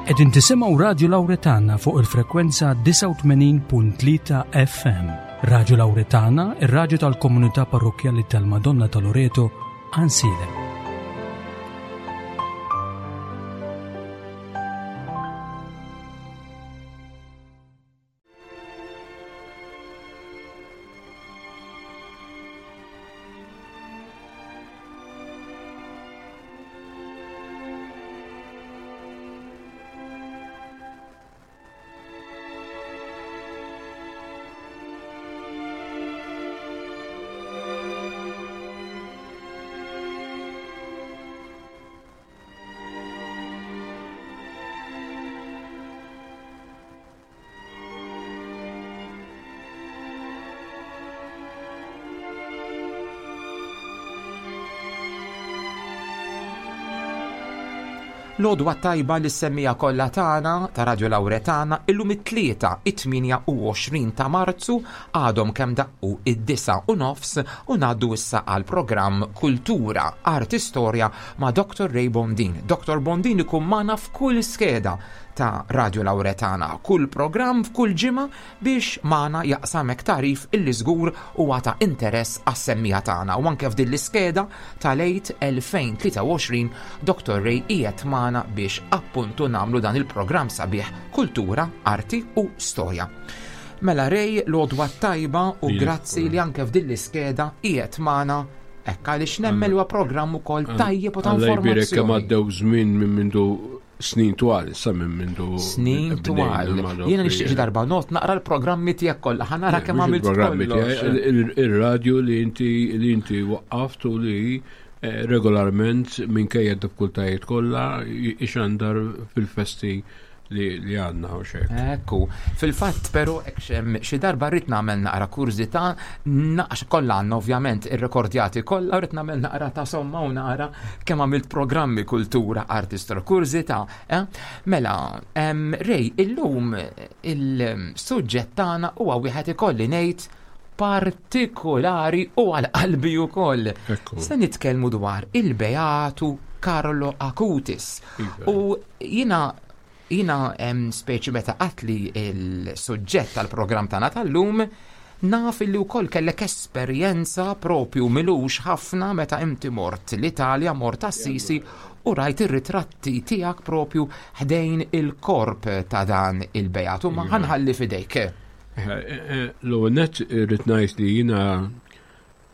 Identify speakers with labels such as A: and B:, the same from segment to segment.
A: Qegħdin tisimgħu Radju Lawretana fuq il-frekwenza 89.3 FM. Radju Lawretana, ir-radju tal-komunità parrokkjali tal-Madonna ta' Loreto, Ansilem.
B: L-għodwa tajba li semmija kollha tagħna ta' Radio Lawretana illum it-tlieta it-28 ta' Marzu għadhom kemm daqqu id-disa u nofs u ngħaddu issa għal programm Kultura, Arti Storja ma' Dr. Ray Bondin. Dr. Bondin ikun magħna f'kull skeda ta' Radio Lawretana, kull programm f'kull ġimgħa biex magħna jaqsam hekk tagħrif illi żgur huwa ta' interess għas-semmiegħa tagħna. U anke f'din l-iskeda tal-Għid 2023 Dr. Ray qiegħed magħna biex appuntu nagħmlu dan il-programm sabiħ Kultura, Arti u Storja. Mela Ray, l-għodwa tajba u grazzi li anke f'din l-iskeda qiegħed magħna hekk għaliex nemmel huwa programm ukoll tajjeb u ta'
C: informazzjoni. Kemm għaddew żmien minn mindu snin twal, issa minn mindu.
B: Snin twal. Jiena nixtieq xi darba not naqra l-programmi tiegħek kollha, ħa nara kemm għamilt
C: programmi tiegħek. Ir-radju li inti li inti waqqaft u li eh, regolarment minkejja d-diffikultajiet kollha ixandar fil-festi li għandna u xek.
B: Ekku, fil-fatt pero xi darba rrid nagħmel naqra kurżità, naqx kollha għandna ovvjament irrekordjati kollha, rrid nagħmel naqra ta' somma u naqra kemm għamilt programmi kultura artist kurżità. Eh? Mela, Rej, illum il-suġġett tagħna huwa wieħed ikolli ngħid partikolari u għal qalbi wkoll. Se nitkellmu dwar il-Beatu Carlo Acutis. Iva. U Jiena jiena speċi meta qatli il-suġġett tal-programm tagħna tal-lum, naf illi wkoll kellek esperjenza propju milux ħafna meta inti mort l-Italja, mort Assisi u rajt ir-ritratti tiegħek propju ħdejn il-korp ta' dan il-Beatu. Ma iva. ħanħalli fidejk.
C: Eh, eh, eh, l-ewwel nett irrid ngħid li jiena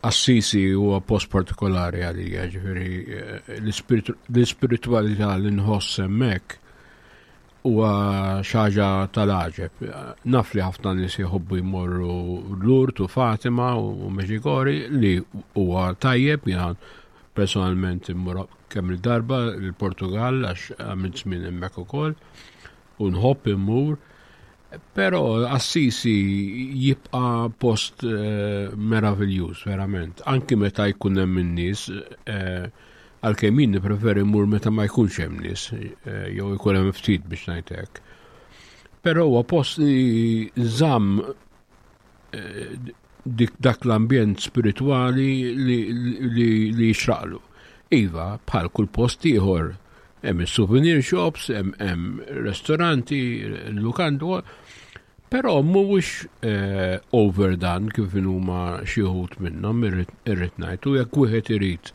C: Assisi huwa post partikolari għalija, ġifieri eh, l-ispiritwalità li nħoss hemmhekk huwa xi ħaġa tal-għaġeb. Naf li ħafna nies jħobbu jmorru Lourdes u Fatima u Medjugorje li huwa tajjeb jiena personalment immur kemm il-darba l-Portugal għax għamilt żmien hemmhekk ukoll u nħobb immur. Però Assisi jibqa' post eh, meraviljuż, verament. Anki meta jkun hemm in-nies, eh, għalkemm jien nippreferi mmur meta ma jkunx hemm nies, eh, jew ikun hemm ftit biex ngħid hekk. Però huwa post li żamm dik dak l-ambjent spiritwali li, li, li jixraqlu. Iva, bħal kull post ieħor, hemm is-souvenir shops, hemm ristoranti, lukandu, però mhuwiex eh, overdone kif huma xi wħud minnhom irrid ngħid u jekk wieħed irid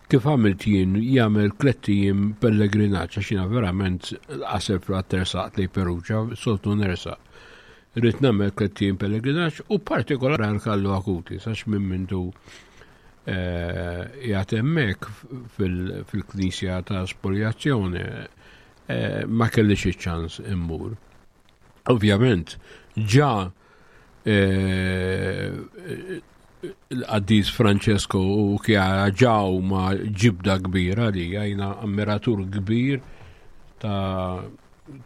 C: kif għamilt jien jagħmel tlett ijiem pellegrinaġġ għax jiena verament qaseb fl-tersaqt lejn Perugia, soltu nersaq. Rrid nagħmel tlett ijiem pellegrinaġġ u partikolari għal Kallu Akuti, sax minn mindu eh, jgħat hemmhekk fil-knisja ta' spoliazzjoni eh, ma kellix iċ-ċans immur. Ovvjament, ġa eh, l-qaddis Francesco u Chiara ġa huma ġibda kbira li jina ammiratur kbir ta'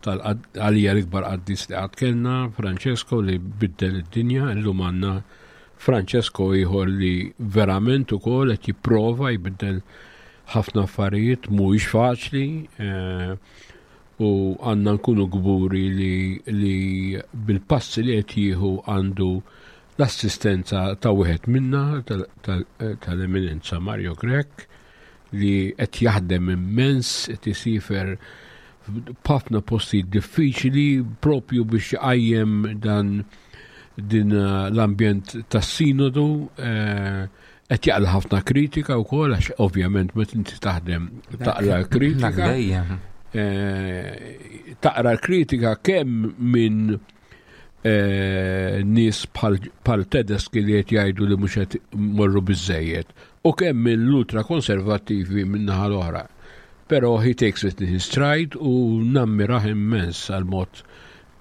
C: tal-għalija l-ikbar qaddis li qatt kellna, Francesco li biddel id-dinja, illum għandna Francesco ieħor li verament ukoll qed jipprova jbiddel ħafna affarijiet mhuwiex faċli eh, u għandna nkunu kburi li, li bil-passi li qed jieħu għandu l-assistenza ta' wieħed minna tal-eminenza Mario Grech li qed jaħdem immens, qed isifer f'ħafna postijiet diffiċli propju biex iqajjem dan din eh, l-ambjent tas-sinodu eh, qed jaqla ħafna kritika wkoll għax ovvjament meta inti taħdem taqla kritika. Eh, taqra l-kritika kemm minn nies bħal Tedeschi li qed jgħidu li mhux qed morru biżejjed u kemm mill-ultra konservattivi min-naħa l-oħra. Però he takes it in his stride u nammirah immens għal mod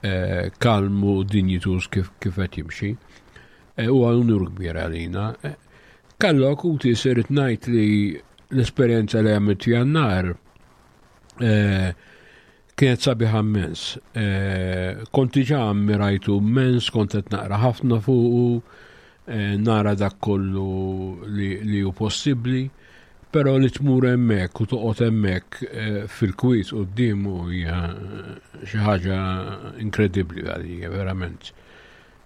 C: eh, kalm u dinjituż kif qed jimxi. Eh, huwa unur kbir għalina. Eh, Kallu akuti sirt ngħid li l-esperjenza li għamilt f'Jannar kienet sabiħa immens. Kont diġà ammirajtu immens, kont qed naqra ħafna fuqu, nara dak kollu li hu possibbli, però li tmur hemmhekk u toqgħod hemmhekk fil-kwiet quddiemu hija xi ħaġa inkredibbli għalija verament.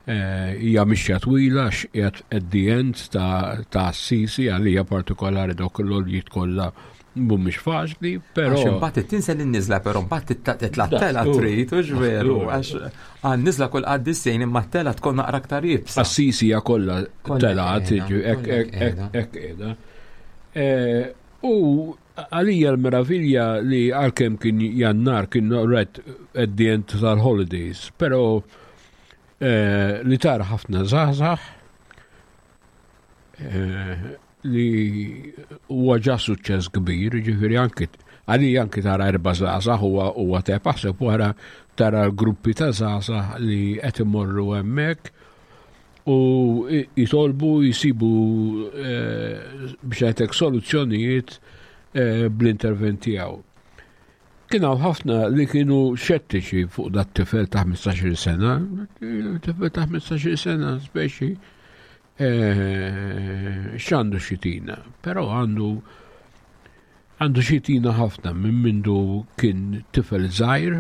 C: Hija mixja twila għax qiegħed at the end ta' Assisi għalija partikolari dawk l-għoljiet kollha mhumiex faċli, però.
B: Għax imbagħad tinsa lin-niżla però mbagħad titla' tela trid u veru għax għan-niżla kull qaddisejn imma t-tela tkun naqra aktar iebsa.
C: Assisi hija kollha telgħat, hekk qiegħda. U Għalija l-meravilja li għalkemm kien Jannar kien right at the end tal-holidays, pero eh, li tara ħafna żgħażagħ eh, li huwa ġa suċċess kbir, ġifieri anki għalija anki tara erba' żgħażagħ huwa huwa teb aħseb wara tara gruppi ta' żgħażagħ li qed imorru hemmhekk u jitolbu jisibu eh, biex għetek soluzzjonijiet eh, bl-intervent tiegħu. Kien hawn ħafna li kienu xettiċi fuq dat tifel ta' 15-il sena, tifel ta' 15-il sena speċi eh, x'għandu xitina, però għandu għandu xitina ħafna minn mindu kien tifel żgħir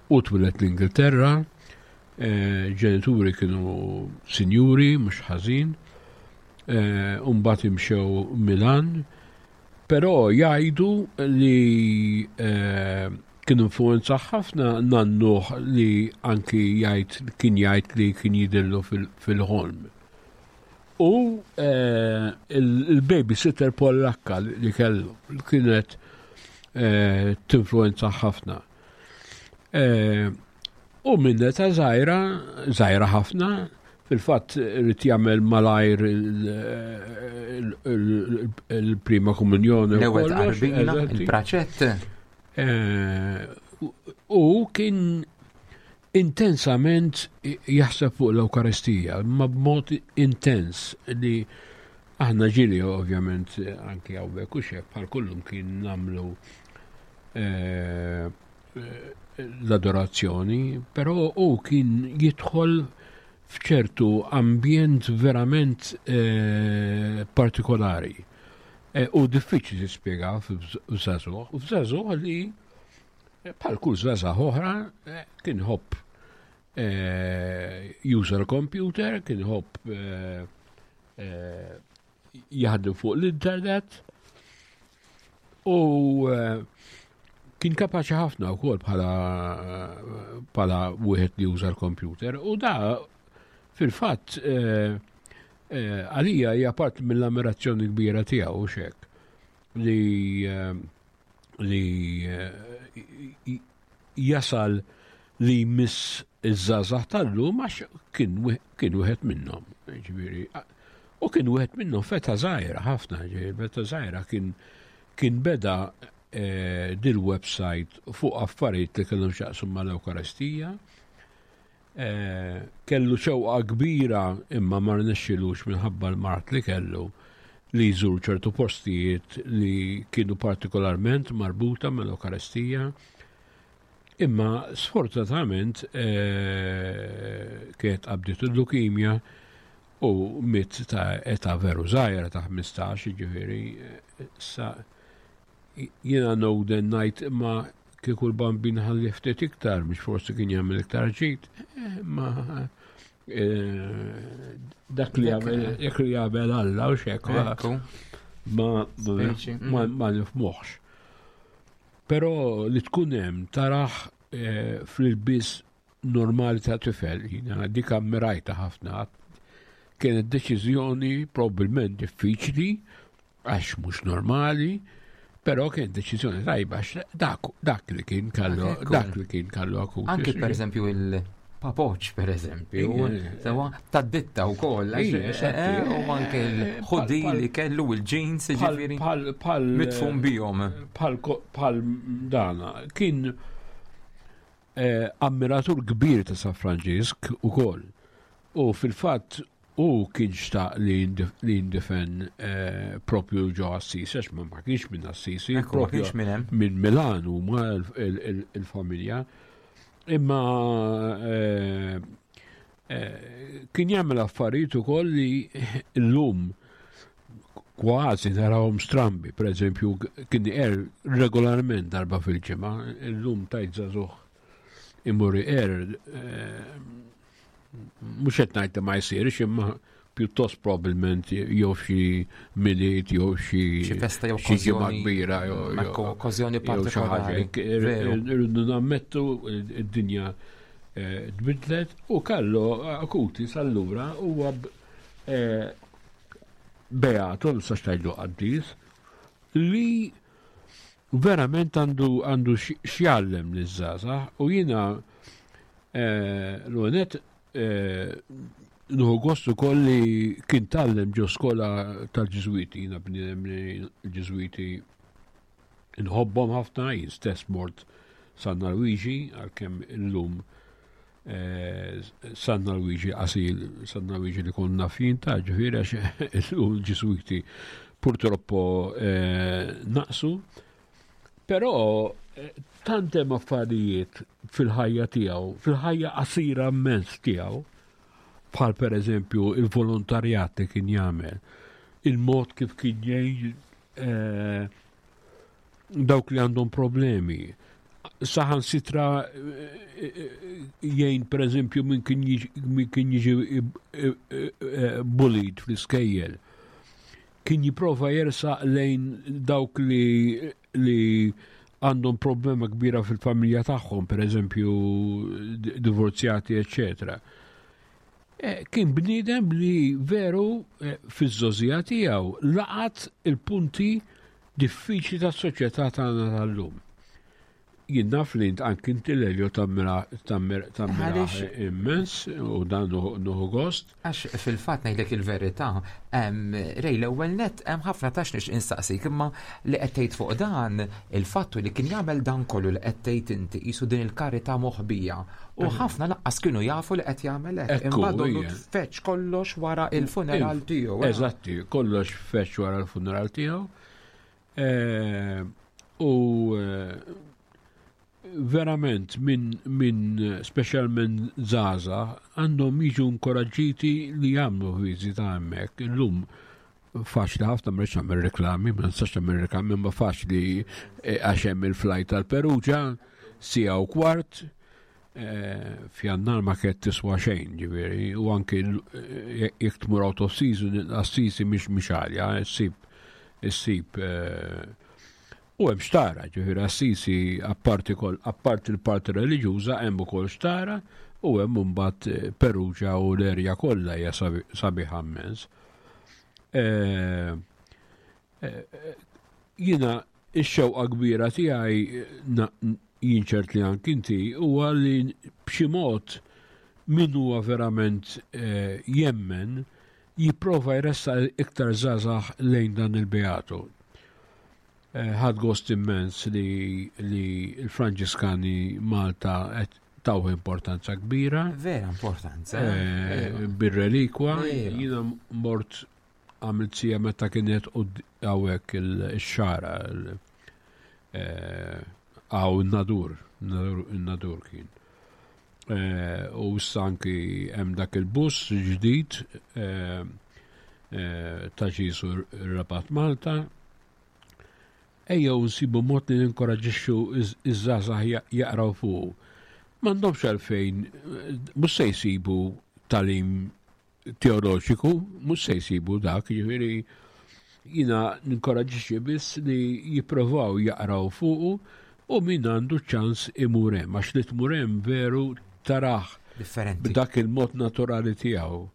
C: u twilet l-Ingilterra, eh, ġenituri kienu sinjuri, mhux ħażin, eh, u mbagħad imxew Milan, però jgħidu li eh, kien influenza ħafna nannuh li anki jgħid kien jgħid li kien jidillu fil-ħolm. U eh, il-babysitter Pollakka li kellu kienet eh, tinfluenza ħafna. Eh, u minn età żgħira, żgħira ħafna, fil-fatt irid jagħmel malajr il-prima komunjoni.
B: L-ewwel tqarbina, il-praċett.
C: U kien intensament jaħseb fuq l-Ewkaristija, ma b'mod intens li aħna ġili ovvjament anki hawnhekk u xek bħal kullum kien nagħmlu eh, l-adorazzjoni, però u kien jidħol f'ċertu ambjent verament eh, partikolari. Eh, u diffiċli tispjega f'żagħżugħ, f'żagħżugħ li Bħal kull żgħażagħ oħra eh, kien ħobb eh, juża l-computer, kien ħobb eh, jaħdem fuq l-internet u kien kapaċi ħafna wkoll bħala bħala wieħed li juża l-computer u da fil-fatt għalija hija part mill-ammirazzjoni kbira tiegħu xek li li eh, jasal li jmiss iż-żgħażagħ tal-lum għax kien wieħed minnhom. Ġifieri, u kien wieħed minnhom feta żgħira ħafna, ġifieri feta żgħira kien kien beda eh, dil-website fuq affarijiet li kellhom x'jaqsmu mal-Ewkaristija. Kellu xewqa kbira imma ma rnexxilux minħabba l-mard li kellu li jżur ċertu postijiet li kienu partikolarment marbuta mal-Ewkaristija. Imma sfortunatament eh, kienet qabdiet il-lukimja u miet ta' età veru żgħira ta' 15, ġifieri eh, sa Jiena noden ngħid imma kieku l-bambin ħalli ftit iktar biex forsi kien jagħmel iktar ġid, eh, ma eh, dak li jagħmel dak li jagħmel Alla u xek ma ma mm. nifmuħx. Però li tkun hemm tarah eh, fl-ilbies normali ta' tifel, jiena dik ammirajta ħafna. Kienet deċiżjoni probabbilment diffiċli għax mhux normali, però kien deċiżjoni tajba għax dak, dak li kien kallu dak li kien kallu akut.
B: Anki per eżempju il papoċ per eżempju, sewa ta' ditta u koll, eh, eh, u anke l-ħudi li kellu il-jeans, ġifiri, mitfum bijom.
C: Pal dana, kien eh, ammiratur kbir ta' San Franġisk u koll. U fil-fatt Hu kien xtaq li jindifen eh, propju ġo Assisi, għax ma kienx minn Assisi,
B: propju
C: minn Milan huma il-familja. Imma eh, eh, kien jagħmel affarijiet ukoll li llum kważi narawhom strambi, per eżempju, kien er regolarment darba fil-ġimgħa, illum tajt żagħżugħ imur er mhux qed ngħid li ma jsirx imma pjuttost probabbilment jew xi milied jew xi
B: xi festa jew
C: xi ġimgħa kbira
B: jew okkażjoni partikolari.
C: Irridu nammettu id-dinja eh, tbidlet u Carlo Acutis allura huwa eh, beatu, nistax tgħidlu qaddis, li verament għandu għandu x'jgħallem liż-żgħażagħ u jiena eh, l-għonet eh, Nħu gost ukoll li kien tgħallem ġo skola tal-Ġiżwiti, jiena bniedem li l-Ġiżwiti nħobbhom ħafna, jien stess mort San Luigi għalkemm illum Eh, San Luigi qasil, San Luigi li konna fin ta' ġifieri għax il-Ġiswiti purtroppo eh, naqsu. Però eh, tant hemm affarijiet fil-ħajja tiegħu, fil-ħajja qasira immens tiegħu, bħal per eżempju il-volontarjat li kien jagħmel, il-mod kif kien jgħin dawk li għandhom problemi. Saħan sitra eh, eh, jgħin per eżempju minn kien jiġi eh, bullied fl-iskejjel. Kien jiprofa jersaq lejn dawk li li għandhom problema kbira fil-familja tagħhom, per eżempju divorzjati, eccetera. Kien bniedem li veru fiż-żgħożija tiegħu laqat il-punti diffiċli tas-soċjetà tagħna tal-lum. Jien naf li int anki inti Lelio tammira tammira immens u dan nuħu gost.
B: Għax fil-fatt ngħidlek il-verità, Rej l-ewwel net hemm ħafna tax nix instaqsik imma li qed tgħid fuq dan il-fattu li kien jagħmel dan kollu li qed tgħid inti qisu din il-karità moħbija U ħafna laqqas kienu jafu li qed jagħmel hekk. Imbagħad donnu tfeċ kollox wara il-funeral tiegħu.
C: Eh. Eżatti, kollox feċ wara l-funeral tiegħu. Eh, u eh, verament minn min speċjalment zaza għandhom jiġu inkoraġġiti li jagħmlu viżita hemmhekk. Illum faċli ħafna ma rridx nagħmel reklami, ma nistax nagħmel reklami, imma faċli eh, għax hemm il-flajt tal-Peruġa, sija u kwart, eh, f'jannar ma kienet tiswa xejn, ġifieri, u anki eh, jekk tmur out of season, Assisi mhix mhix għalja, issib issib u hemm xtara, ġifieri Assisi apparti apparti l-parti reliġjuża hemm ukoll xtara u hemm imbagħad Peruġa u l-erja kollha hija sabiħa immens. Eh, eh, jina ix-xewqa kbira tiegħi jien ċert li anki inti huwa li b'xi mod min huwa verament eh, jemmen jipprova jressa iktar żgħażagħ lejn dan il-beatu. Ħadd gost immens li l-Franġiskani Malta qed tawh importanza kbira.
B: Vera importanza.
C: Eh, bir-relikwa, jiena mort għamilt sija meta kienet hawnhekk il-xara eh, għaw nadur nadur kien. Eh, u issa anki hemm dak il-bus ġdid ta' Ġisu Rabat Malta Ejjew nsibu mod li ninkoraġġixxu ż-żgħażagħ jaqraw fuqu. M'għandhomx għalfejn, mhux se jsibu tagħlim teoloġiku, mhux se jsibu dak, jiġifieri jiena ninkoraġġixxi biss li jipprovaw jaqraw fuqu. U min għandu ċans imur hemm, għax li tmur hemm veru tarah
B: Differenti.
C: b'dak il-mod naturali tiegħu.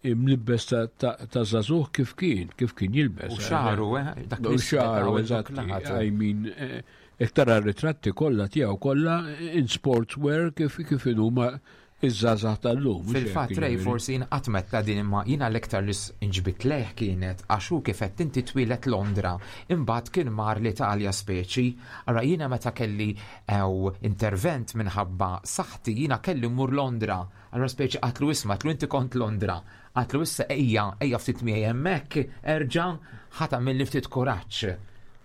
C: Imlibbes ta' żagħżugħ kif kien, kif kien jilbes.
B: U xagħru, eh, dak
C: U xagħru, eżatt. I mean, eh, jekk tara r-ritratti kollha tiegħu kollha in sportswear kif kif inhuma iż-żgħażagħ tal-lum.
B: Fil-fatt Ray forsi jien qatt metta din imma jiena l-iktar li inġbit lejh kienet għax hu kif qed inti twieled Londra, imbagħad kien mar l-Italja speċi. Ara jiena meta kelli ew intervent minħabba saħħti jiena kelli mmur Londra. Allura speċi qatlu isma' qatlu inti kont Londra. Qatlu issa ejja, ejja ftit miegħi hemmhekk, erġa' ħa tagħmilli ftit kuraġġ.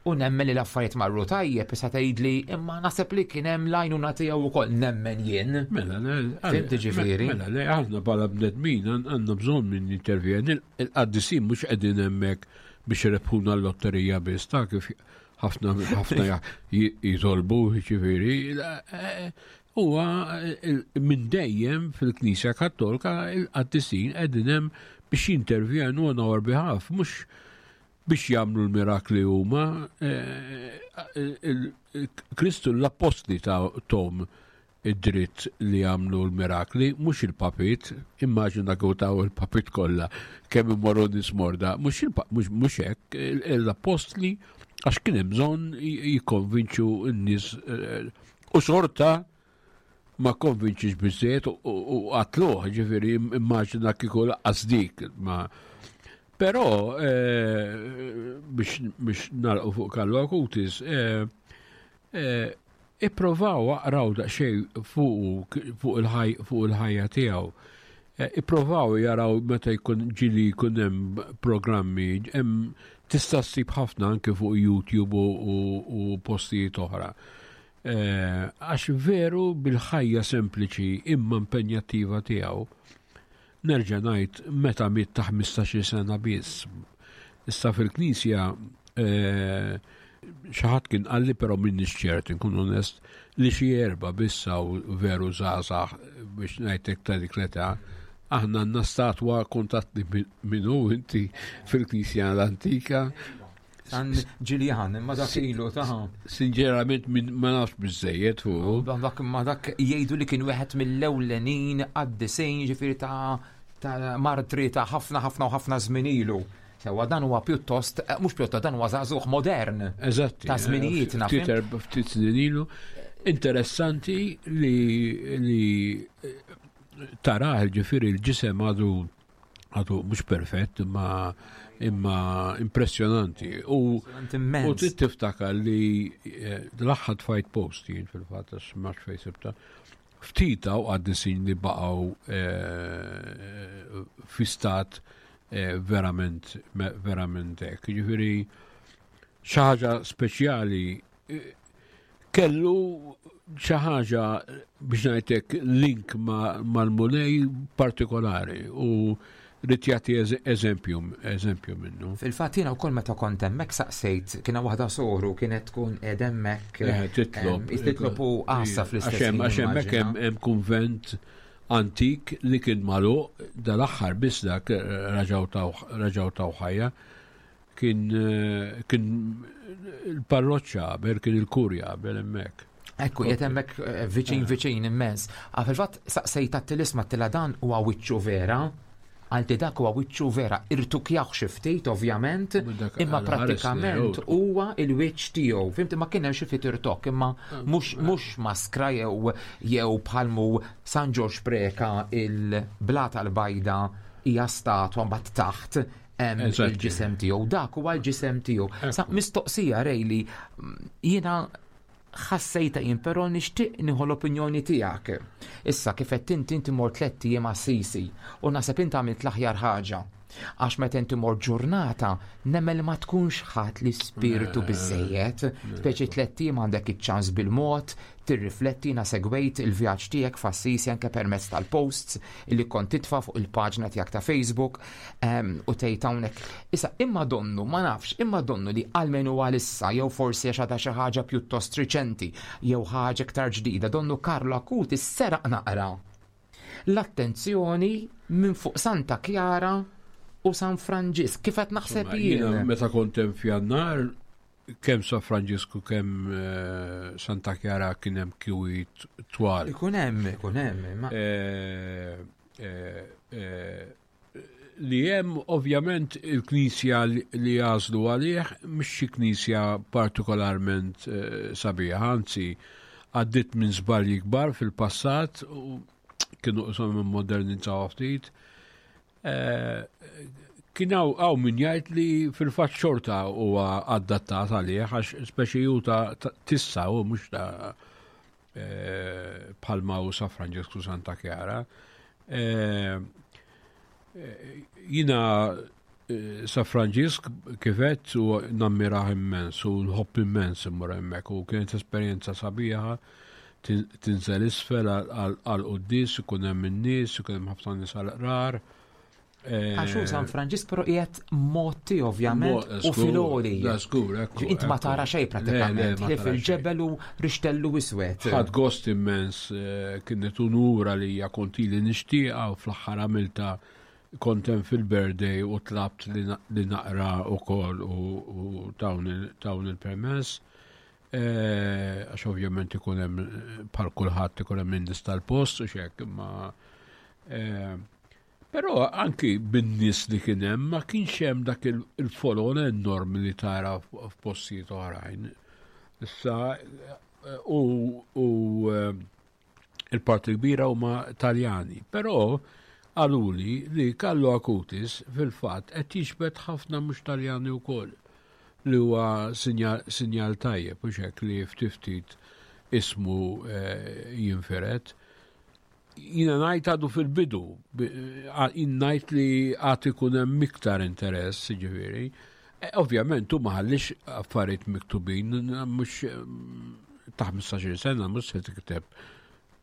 B: U nemmen li l-affarijiet marru tajjeb, issa tgħidli imma naħseb li kien hemm l-għajnuna tiegħu wkoll nemmen jien.
C: Mela, le,
B: Fhimt ġifieri?
C: Mela, le, aħna bħala bnedmin għandna bżonn min jintervjeni. Il-qaddisin mhux qegħdin hemmhekk biex irebħuna l-lotterija biss, ta' kif ħafna ħafna jitolbu, ġifieri. Eh, huwa minn dejjem fil-Knisja Kattolika il-qaddisin qegħdin hemm biex jintervjenu on our behalf, mhux biex jagħmlu l-mirakli huma. Eh, Kristu l-appostli ta' tom id-dritt li jagħmlu l-mirakli, mhux il-papit, immaġina kieku taw il-papit kollha kemm imorru nies morda, mhux hekk, l-appostli għax kien hemm bżonn jikkonvinċu n-nies eh, u xorta ma konvinċix biżżejjed u qatluh, ġifieri immaġina kieku laqqas dik ma. Però eh, biex nagħlqu fuq Carlo Acutis, eh, eh, ipprovaw aqraw daqsxejn fuq fuq il-ħajja tiegħu. Ipprovaw jaraw meta jkun ġili jkun hemm programmi, hemm tista' ssib ħafna anke fuq YouTube u postijiet oħra. Eh, għax veru bil-ħajja sempliċi imma impenjattiva tiegħu, nerġa' ngħid meta miet ta' 15-il sena biss. Issa fil-Knisja eh, xi ħadd kien qalli però minniex ċert inkun onest li xi erba' biss hawn veru żgħażagħ biex ngħidlek ta' dik l-età. Aħna għandna statwa kontatni minnu inti fil-Knisja l-antika
B: San Ġiljan, imma dak ilu ta'
C: Sinċerament ma nafx biżejjed fuq.
B: Dak ma dak jgħidu li kien wieħed mill-ewlenin qaddisin ġifieri ta' ta' martri ta' ħafna ħafna u ħafna żmien ilu. Sewa dan huwa pjuttost, eh, mhux pjuttost dan huwa żagħżugħ modern.
C: Eżatt.
B: Ta' żminijietna.
C: Ftit ftit snin ilu. Interessanti li li eh, taraħ ġifieri l-ġisem għadu għadu mhux perfett imma imma impressjonanti. U u trid tiftakar li eh, l-aħħar tfajt post jien fil-fatt għax ma fejn sibta. Ftit hawn qaddisin li baqgħu eh, fi stat eh, verament verament hekk. Jiġifieri xi ħaġa speċjali kellu xi ħaġa biex ngħidlek link mal-Mulej partikolari u rrid jagħti eżempju eżempju minnu.
B: Fil-fatt jiena wkoll meta kont hemmhekk saqsejt kien waħda soru kienet tkun qiegħda hemmhekk.
C: Eh, titlob.
B: Titlob u għassa fl-istess.
C: Għax hemmhekk hemm kunvent antik li kien magħluq dal-aħħar biss dak raġgħu taw ħajja. Kien eh, kien il-parroċċa qabel, kien il-kurja qabel hemmhekk.
B: Ekku, jiet hemmhekk eh, viċin eh. viċin immens. Ah, fil-fatt saqsejt għat-tilisma tila dan huwa wiċċu vera, għalti dak huwa wiċċu vera, irtukjaw xi ftit ovvjament, imma prattikament huwa il-wiċċ tiegħu. Fimti ma kien hemm xi ftit irtok, imma ah, mhux ah. mhux maskra jew jew bħalmu San Ġorġ Preka il-blata l-bajda hija statwa mbagħad taħt hemm il-ġisem tiegħu, dak huwa l-ġisem tiegħu. Sa mistoqsija rejli jiena ħassejta jien però nixtieq nieħu l-opinjoni tiegħek. Issa kif qed inti inti mort tlett ijiem Assisi u naħseb inti għamilt l-aħjar ħaġa. Għax meta inti mort ġurnata nemmen li ma tkunx ħadd l-ispirtu biżejjed, speċi tlett ijiem għandek iċ-ċans bil-mod, tirrifletti jiena segwejt il-vjaġġ tiegħek f'Assisi anke permezz tal-posts li kont titfa' fuq il-paġna tiegħek ta' Facebook ehm, u tgħid hawnhekk. Issa imma donnu ma nafx, imma donnu li almenu għalissa jew forsi għax għadha xi ħaġa pjuttost riċenti jew ħaġa iktar ġdida, donnu Carlo Acutis seraq naqra l-attenzjoni minn fuq Santa Chiara u San Franġisk. Kif qed naħseb jien.
C: Meta kont hemm f'Jannar. kemm San Franġisku kemm eh, Santa Chiara kien hemm kiwi twal.
B: Ikun hemm, ikun hemm.
C: Eh, eh, li hemm ovvjament il-knisja li għażlu għalih mhix xi knisja partikolarment sabiħa, anzi għaddit minn żbalji kbar fil-passat u kienu qishom immodernizzaw ftit. Eh, kien hawn min jgħid li fil-fatt xorta huwa adattat għalih għax speċi hu ta' tissa u mhux ta' eh, bħalma u Sa Franġisku Santa Chiara. Eh, jina Sa Franġisk kifet u nammirah immens u nħobb immens immur hemmhekk u kienet esperjenza sabiħa tinżel isfel għal quddis ikun hemm in-nies, ikun hemm ħafna nies għal qrar.
B: Eh, Għax hu San Franġisk però qiegħed motti ovvjament u filoli. Int ma tara xejn pratikament, li fil-ġebel u rixtellu iswed.
C: Ħadd gost immens eh, kienet unura li hija kontili nixtieqa u fl-aħħar għamilta kontem fil-birthday u tlabt li naqra u kol u tawn il-permess. Eh, għax ovvjament ikun hemm bħal kulħadd ikun hemm in-nies tal-post u xek, imma eh, però anki bin-nies li kien hemm ma kienx hemm dak il-folol enormi li tara f'postijiet oħrajn. Issa eh, u il-parti kbira huma Taljani, però qaluli li Carlo Acutis fil-fatt qed jiġbed ħafna mhux Taljani wkoll li huwa sinjal tajjeb u hekk li ftit ftit ismu eh, jinfired. Jina ngħid għadu fil-bidu, jien ngħid li għad ikun hemm iktar interess, ġifieri. Eh, ovvjament, u ma ħallix affarijiet miktubin, mhux ta' 15 sena mhux se tikteb.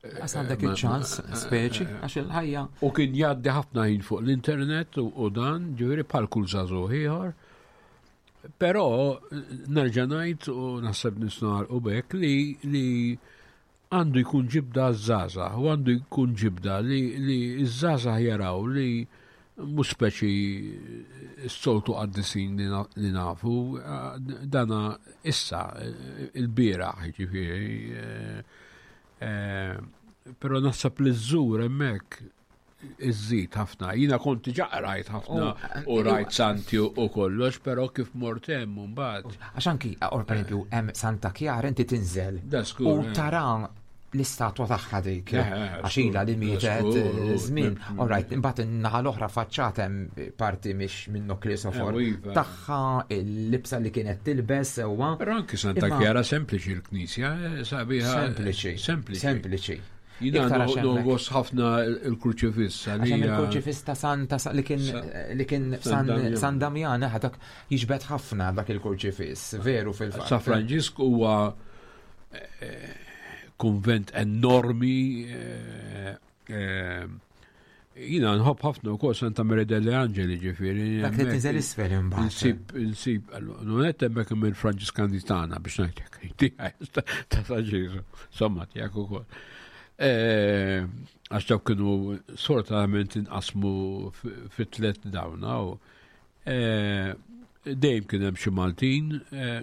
B: Għas għandek il-ċans, speċi, għax il-ħajja.
C: U kien jgħaddi ħafna ħin fuq l-internet u dan, ġifieri bħal kull żagħżugħ ieħor. Però nerġa' ngħid u naħseb nisnar u bekk li li għandu jkun ġibda għaż-żgħażagħ u għandu jkun ġibda li li ż-żgħażagħ jaraw li mhux speċi s-soltu qaddisin li nafu, dana issa il-bieraħ ġifieri. Eh, eh, però naħseb li żżur hemmhekk iżżid ħafna. Jina kont diġà rajt ħafna u rajt santi u kollox, però kif mort hemm mbagħad.
B: Għax anki, or pereżempju, hemm Santa Chiara inti tinżel u eh. tara l-istatwa tagħha dik. Eh, eh, għax ilha li mietet żmien. All right, imbagħad in-naħa l-oħra faċċat hemm parti mhix minn Kristofor iva. tagħha il-libsa li kienet tilbes sewwa.
C: Però anki Santa Chiara sempliċi l-knisja, sabiħa.
B: Sempliċi. Sempliċi. Sempliċi.
C: Jina nogos ħafna il-kurċifiss.
B: Għax il-kurċifiss ta' Santa li kien li kien San Damjan, eh, dak jiġbed ħafna dak il-kurċifiss, veru fil-fatt.
C: Sa Franġisk huwa eh, kunvent enormi eh, Jina nħobb ħafna wkoll Santa Maria delle Angeli ġifieri.
B: Dak li tinżel isfel imbagħad.
C: Insib, insib, non hemmhekk minn Franġiskani tagħna biex ngħidlek. Ta' San Ġesu, somma tiegħek ukoll. Eh, għax dawk kienu sfortunatament inqasmu fit tliet dawna u eh, dejjem kien hemm xi Maltin, eh,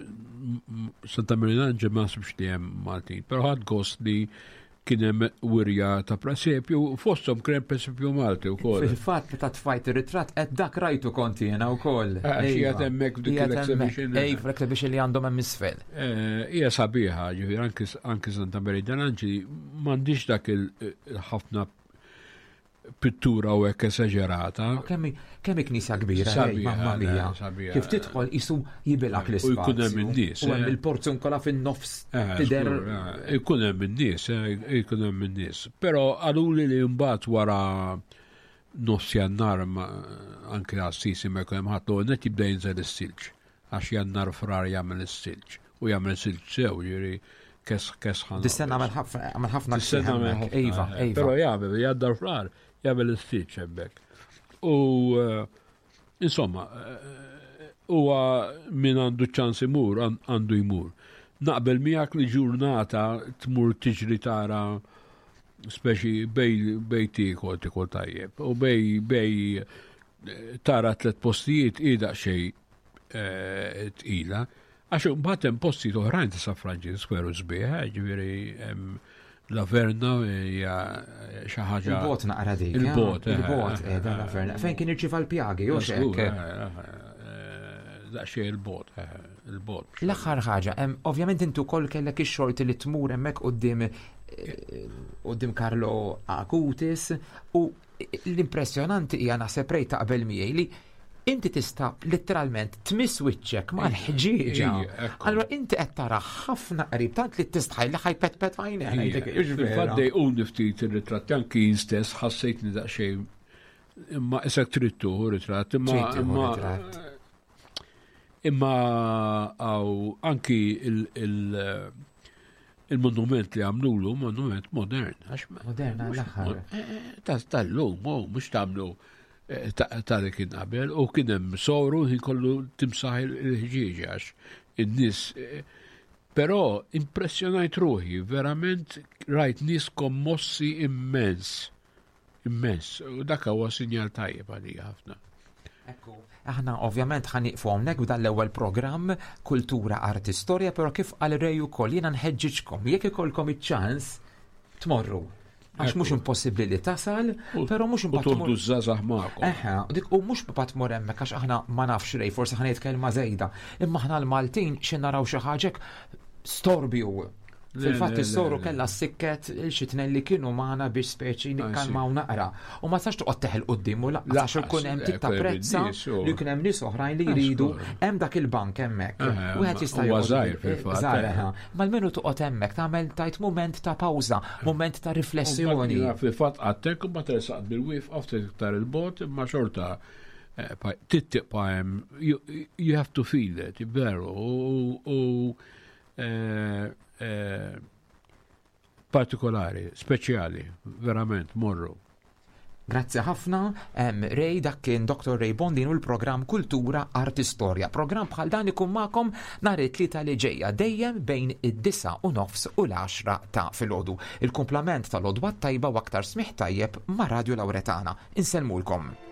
C: Santa Maria Angel ma nasibx li hemm Maltin, però ħadd gost li kien hemm wirja ta' presepju, fosthom kien hemm presepju Malti wkoll.
B: Fil-fatt meta tfajt ir-ritratt qed dak rajtu kont jiena wkoll.
C: Ah, iva. Qiegħed hemmhekk f'dik l-exhibition.
B: Ej, fl-exhibition li għandhom hemm isfel.
C: Eh, hija sabiħa, ġifieri anki Santa Maria dell'Angeli m'għandix dak il-ħafna pittura u hekk esaġerata.
B: Kemm kemm knisja kbira, mamma mia. Kif tidħol isu jibilak l-ispazju.
C: U jkun hemm in-nies.
B: U hemm eh. il-porzunkola fin-nofs eh, tidher.
C: Eh, jkun hemm in-nies, jkun hemm in-nies. Però qaluli li mbagħad wara nofs jannar anke għas-sisi ma jkun hemm ħadd l net jibda jinżel is-silġ. Għax Jannar Frar jagħmel is-silġ u jagħmel silġ sew, jiġifieri kes kesħan.
B: Dis-sena għamel ħafna għamel ħafna
C: Dis-sena għamel ħafna.
B: Iva,
C: eh,
B: iva.
C: Però jagħmel Jannar Frar jagħmel is-silġ hemmhekk. U eh, insomma, eh, huwa min għandu ċans imur, għandu jmur. Naqbel miegħek li ġurnata tmur tiġri tara speċi bej bej tiekol tiekol tajjeb u bej bej tara tlet postijiet i daqsxejn eh, tqila. Għax mbagħad hemm postijiet oħrajn ta' San Franġisk veru sbieħ, eh, ġifieri La Verna hija xi ħaġa.
B: Il-bot naqra dik.
C: Eh? Il-bot.
B: Eh, Il-bot qiegħda La Verna. Fejn kien irċieva l-pjagi, jew x'hekk.
C: Daqsxejn il-bot, il-bot.
B: L-aħħar ħaġa, ovvjament intu wkoll kellek ix-xorti li tmur hemmhekk quddiem quddiem Carlo Acutis u L-impressjonanti hija naħseb Ray taqbel miegħi li inti tista' letteralment tmiss wiċċek mal-ħġieġa. Allura inti qed tara ħafna qrib tant li tistħaj li ħajpetpet għajnek.
C: Fil-fatt dejquni ftit ir-ritratti anki jien stess ħassejtni daqsxejn imma isek trid tieħu ritratt imma imma imma għaw anki il- Il-monument li għamlulu, monument modern.
B: Modern għall-aħħar.
C: Eh, eh, tal-lum, oh, mhux tagħmlu eh, ta' li kien qabel, u kien hemm soru ħin kollu timsaħ il-ħġieġ għax in-nies. Però impressjonajt ruħi, verament rajt nies kommossi immens. Immens, u dak huwa sinjal tajjeb għalija ħafna.
B: Ekku, aħna ovvjament ħa nieqfu hawnhekk b'dan l-ewwel programm Kultura Arti Storja, però kif qal Ray ukoll jiena nħeġġiġkom jekk ikollkom iċ-ċans tmorru. Għax mhux impossibbli li tasal, però mhux
C: imbagħad. U toħdu żgħażagħ magħkom.
B: Eħe, dik u mhux mbagħad tmur hemmhekk għax aħna ma nafx Ray, forsi ħa ngħid kelma żejda. Imma aħna l-Maltin xi naraw xi ħaġa storbju. Fil-fatt is-soru kellha sikket il xi tnejn li kienu magħna biex speċi nikkalmaw naqra. U ma tistax toqgħod teħel quddiem u lanqas għax ikun hemm tip ta' prezza li jkun hemm nies oħrajn li jridu hemm dak il-bank hemmhekk. Wieħed jista'
C: joqgħod. Żgħir fil-fatt.
B: Żgħir, Ma almenu toqgħod hemmhekk tagħmel tajt mument ta' pawża, mument ta' riflessjoni.
C: Fil-fatt għattek u ma tersaq bil-wieqfa ftit iktar il-bot imma xorta eh, tittiqpa hemm you have to feel it, veru, u Eh, eh, partikolari, speċjali, verament, morru.
B: Grazzi ħafna, Ray, dak kien Dr. Ray Bondin u l-programm Kultura Arti Storja. Programm bħal dan ikun magħkom nhar it-tlieta li ġejja dejjem bejn id-disa u nofs u l-10 ta' filgħodu. Il-kumplament tal-odwa tajba u aktar smih tajjeb ma' Radio Lauretana. Insellmulkom.